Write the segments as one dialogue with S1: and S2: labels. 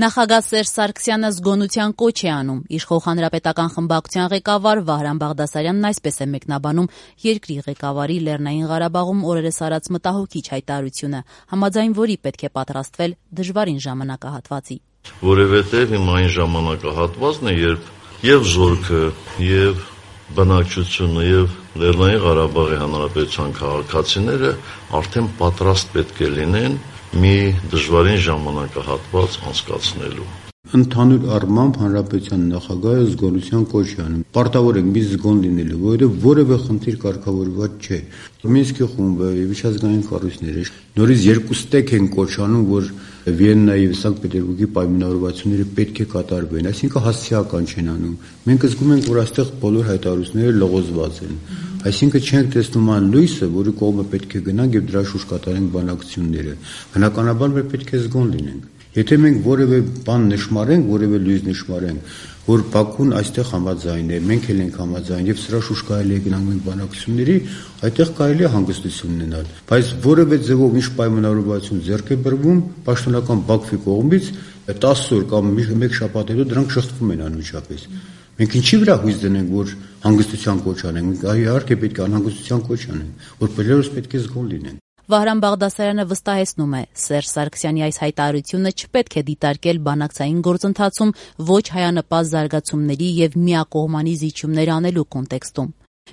S1: Նախագահ Սերժ Սարգսյանը զգոնության կոչ է անում։ Իշխող հանրապետական խմբակցության ղեկավար Վահրամ Բաղդասարյանն այսպես է մեկնաբանում երկրի ղեկավարի Լեռնային Ղարաբաղում օրերս արած մտահոգիչ հայտարարությունը, համաձայն որի պետք է պատրաստվել դժվարին ժամանակահատվածի։
S2: Որովհետև հիմա այն ժամանակահատվածն է, երբ եւ զորքը, եւ բնակչությունը, եւ Լեռնային Ղարաբաղի Հանրապետության քաղաքացիները արդեն պատրաստ պետք է լինեն մի դժվարին ժամանակահատված անցկացնելու։
S3: Ընդհանուր առմամբ հանրապետության նախագահը զգոնության կոչ է անում։ Պարտավոր ենք մի զգոն լինելու, որովհետև որևէ խնդիր կարգավորված չէ։ Մինսկի խումբը եւ միջազգային կառույցները նորից երկու ստեկ են կոչ անում, որ Վիեննայի եւ Սանկտ Պետերբուրգի պայմանավորվածությունները պետք է կատարվեն, այսինքն հասցեական չեն անում։ Մենք զգում ենք, որ այստեղ բոլոր հայտարարությունները լողոզված են։ Այսինքն չենք տեսնում այն լույսը, որի կողմը պետք է գնանք եւ դրա շուրջ կատարենք բանակցությունները։ Բնականաբար մենք պետք է զգոն լինենք։ Եթե մենք որևէ բան նշмарենք, որևէ լույս նշмарենք, որ Բաքուն այստեղ համաձայն է, մենք էլ ենք համաձայն եւ սրա շուրջ կարելի է գնանք մենք բանակցությունների, այդտեղ կարելի է հանգստություն ունենալ։ Բայց որևէ ձևով ինչ պայմանավորվածություն ձեռք է բերվում պաշտոնական Բաքվի կողմից 10 օր կամ մեկ շաբաթ հետո դրանք շղթվում են անմիջապես։ Մենք ինչի վրա հույս դնենք, որ հանգստության կոչ անենք, մենք իհարկե պետք է անհանգստության կոչ անենք, որ բոլորս պետք է զգոն լինենք։
S1: Վահրամ Բաղդասարյանը վստահեցնում է, Սերժ Սարգսյանի այս հայտարարությունը չպետք է դիտարկել բանակցային գործընթացում ոչ հայանպաստ զարգացումների եւ միակողմանի զիջումներ անելու կոնտեքստում։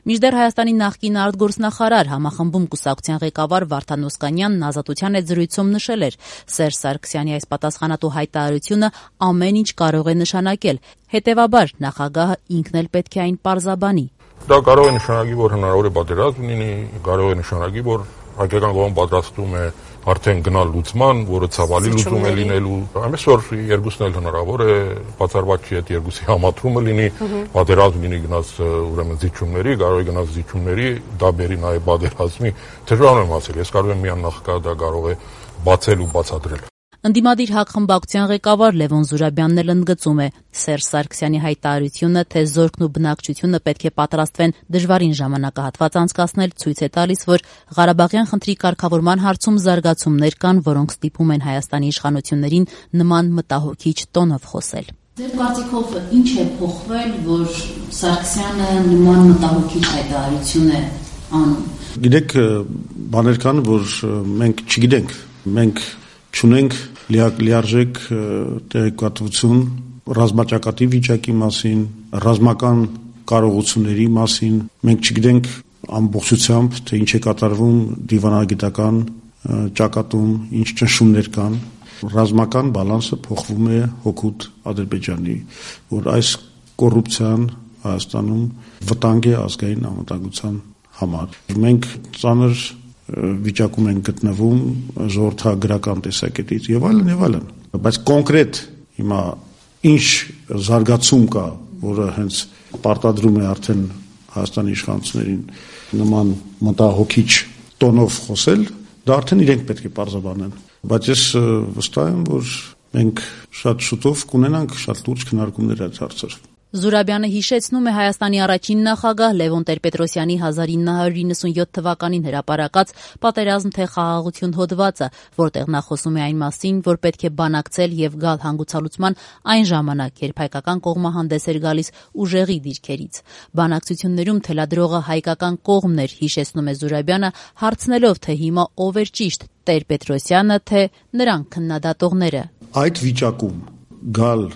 S1: Մինչդեռ Հայաստանի նախկին արտգործնախարար համախմբում կուսակցության ղեկավար Վարդան Օսկանյանն Ազատության հետ զրույցում նշել էր, Սերժ Սարգսյանի այս պատասխանատու հայտարարությունը ամեն ինչ կարող է նշանակել, հետեւաբար նախագահը ինքն էլ պետք է այն պարզաբանի։
S4: Դա կարող է նշանակի, որ հնարավոր է պատերազմ լինի, կարող է նշանակի, որ հայկական կողմը պատրաստում է արդեն գնալ լուծման, որը ցավալի լուծում է լինելու։ Ամենից որ երկուսն էլ հնարավոր է, բացառված չի այդ երկուսի համադրումը լինի, պատերազմ լինի գնաց ուրեմն զիջումների, կարող է գնաց զիջումների, դա բերի նաև պատերազմի։ Դժվար եմ ասել, ես կարող եմ միան նախագահը դա կարող է բացել ու բացատրել։
S1: Ընդդիմադիր ՀԱԿ խմբակցության ղեկավար Լևոն Զուրաբյանն էլ ընդգծում է Սերժ Սարգսյանի հայտարարությունը, թե զորքն ու բնակչությունը պետք է պատրաստվեն դժվարին ժամանակահատված անցկացնել, ցույց է տալիս, որ Ղարաբաղյան խնդրի կարգավորման հարցում զարգացումներ կան, որոնք ստիպում են Հայաստանի իշխանություններին նման մտահոգիչ տոնով խոսել։
S5: Ձեր կարծիքով ինչ է փոխվել, որ Սարգսյանը նման մտահոգիչ հայտարարություն է անում։
S6: Գիտեք, բաներ կան, որ մենք չգիտենք, մենք չունենք լիարժեք տեղեկատվություն ռազմաճակատի վիճակի մասին, ռազմական կարողությունների մասին, մենք չգիտենք ամբողջությամբ, թե ինչ է կատարվում դիվանագիտական ճակատում, ինչ ճնշումներ կան, ռազմական բալանսը փոխվում է հօգուտ Ադրբեջանի, որ այս կոռուպցիան Հայաստանում վտանգ է ազգային անվտանգության համար։ Մենք ծանր վիճակում են գտնվում ժողովրդագրական տեսակետից եւ այլն, բայց կոնկրետ հիմա ինչ զարգացում կա, որը հենց պարտադրում է արդեն Հայաստանի իշխանություններին նման մտահոգիչ տոնով խոսել, դա արդեն իրենք պետք է պարզաբանեն, բայց ես վստահ եմ, որ մենք շատ շուտով կունենանք շատ լուրջ քննարկումներ այդ հարցերով։
S1: Զուրաբյանը հիշեցնում է Հայաստանի առաջին նախագահ Լևոն Տեր-Պետրոսյանի 1997 թվականին հրապարակած «Պատերազմ թե խաղաղություն» հոդվածը, որտեղ նա խոսում է այն մասին, որ պետք է բանակցել եւ գալ հանգուցալուծման այն ժամանակ, երբ հայկական կողմը հանդես էր գալիս ուժեղի դիրքերից։ Բանակցություններում թելադրողը հայկական կողմն էր, հիշեցնում է Զուրաբյանը, հարցնելով, թե հիմա ով էր ճիշտ՝ Տեր-Պետրոսյանը, թե նրանք քննադատողները։
S6: Այդ վիճակում գալ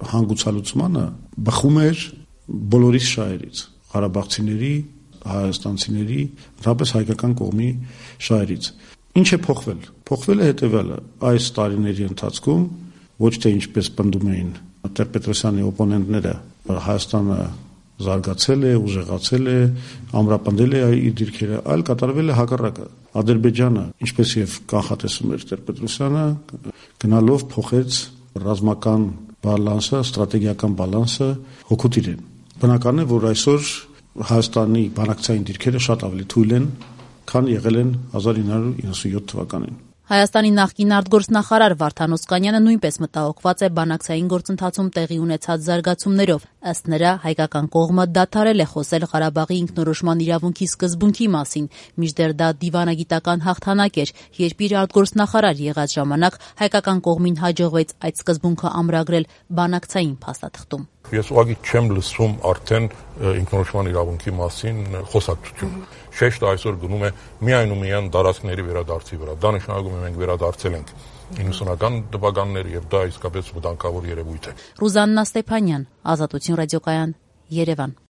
S6: հանգուցալուծմանը բխում էր բոլորիս շահերից, ղարաբաղցիների, հայաստանցիների, ընդհանրապես հայկական կողմի շահերից։ Ինչ է փոխվել։ Փոխվել է հետևյալը. այս տարիների ընթացքում ոչ թե ինչպես պնդում էին Տեր-Պետրոսյանի օպոնենտները, Հայաստանը զարգացել է, ուժեղացել է, ամրապնդել է իր դիրքերը, այլ կատարվել է հակառակը։ Ադրբեջանը, ինչպես եւ կանխատեսում էր Տեր-Պետրոսյանը, գնալով փոխեց ռազմական բալանսը, ստրատեգիական բալանսը հօգուտ իրեն։ Բնական է, որ այսօր Հայաստանի բանակցային դիրքերը շատ ավելի թույլ են, քան եղել են 1997 թվականին։
S1: Հայաստանի նախկին արտգործնախարար Վարդան Օսկանյանը նույնպես մտահոգված է բանակցային գործընթացում տեղի ունեցած զարգացումներով։ Ըստ նրա, հայկական կողմը դադարել է խոսել Ղարաբաղի ինքնորոշման իրավունքի սկզբունքի մասին, մինչդեռ դա դիվանագիտական հաղթանակ էր, երբ իր արտգործնախարար եղած ժամանակ հայկական կողմին հաջողվեց այդ սկզբունքը ամրագրել բանակցային փաստաթղթում։
S4: Ես ուղղակի չեմ լսում արդեն ինքնորոշման իրավունքի մասին խոսակցություն։ Շեշտը այսօր գնում է միայն ու միայն դարաշքների վերադարձի վրա։ Դա նշանակում է մենք վերադարձել ենք 90-ական թվականներ եւ դա իսկապես վտանգավոր երևույթ է։
S1: Ռուզաննա Ստեփանյան, Ազատություն ռադիոկայան, Երևան։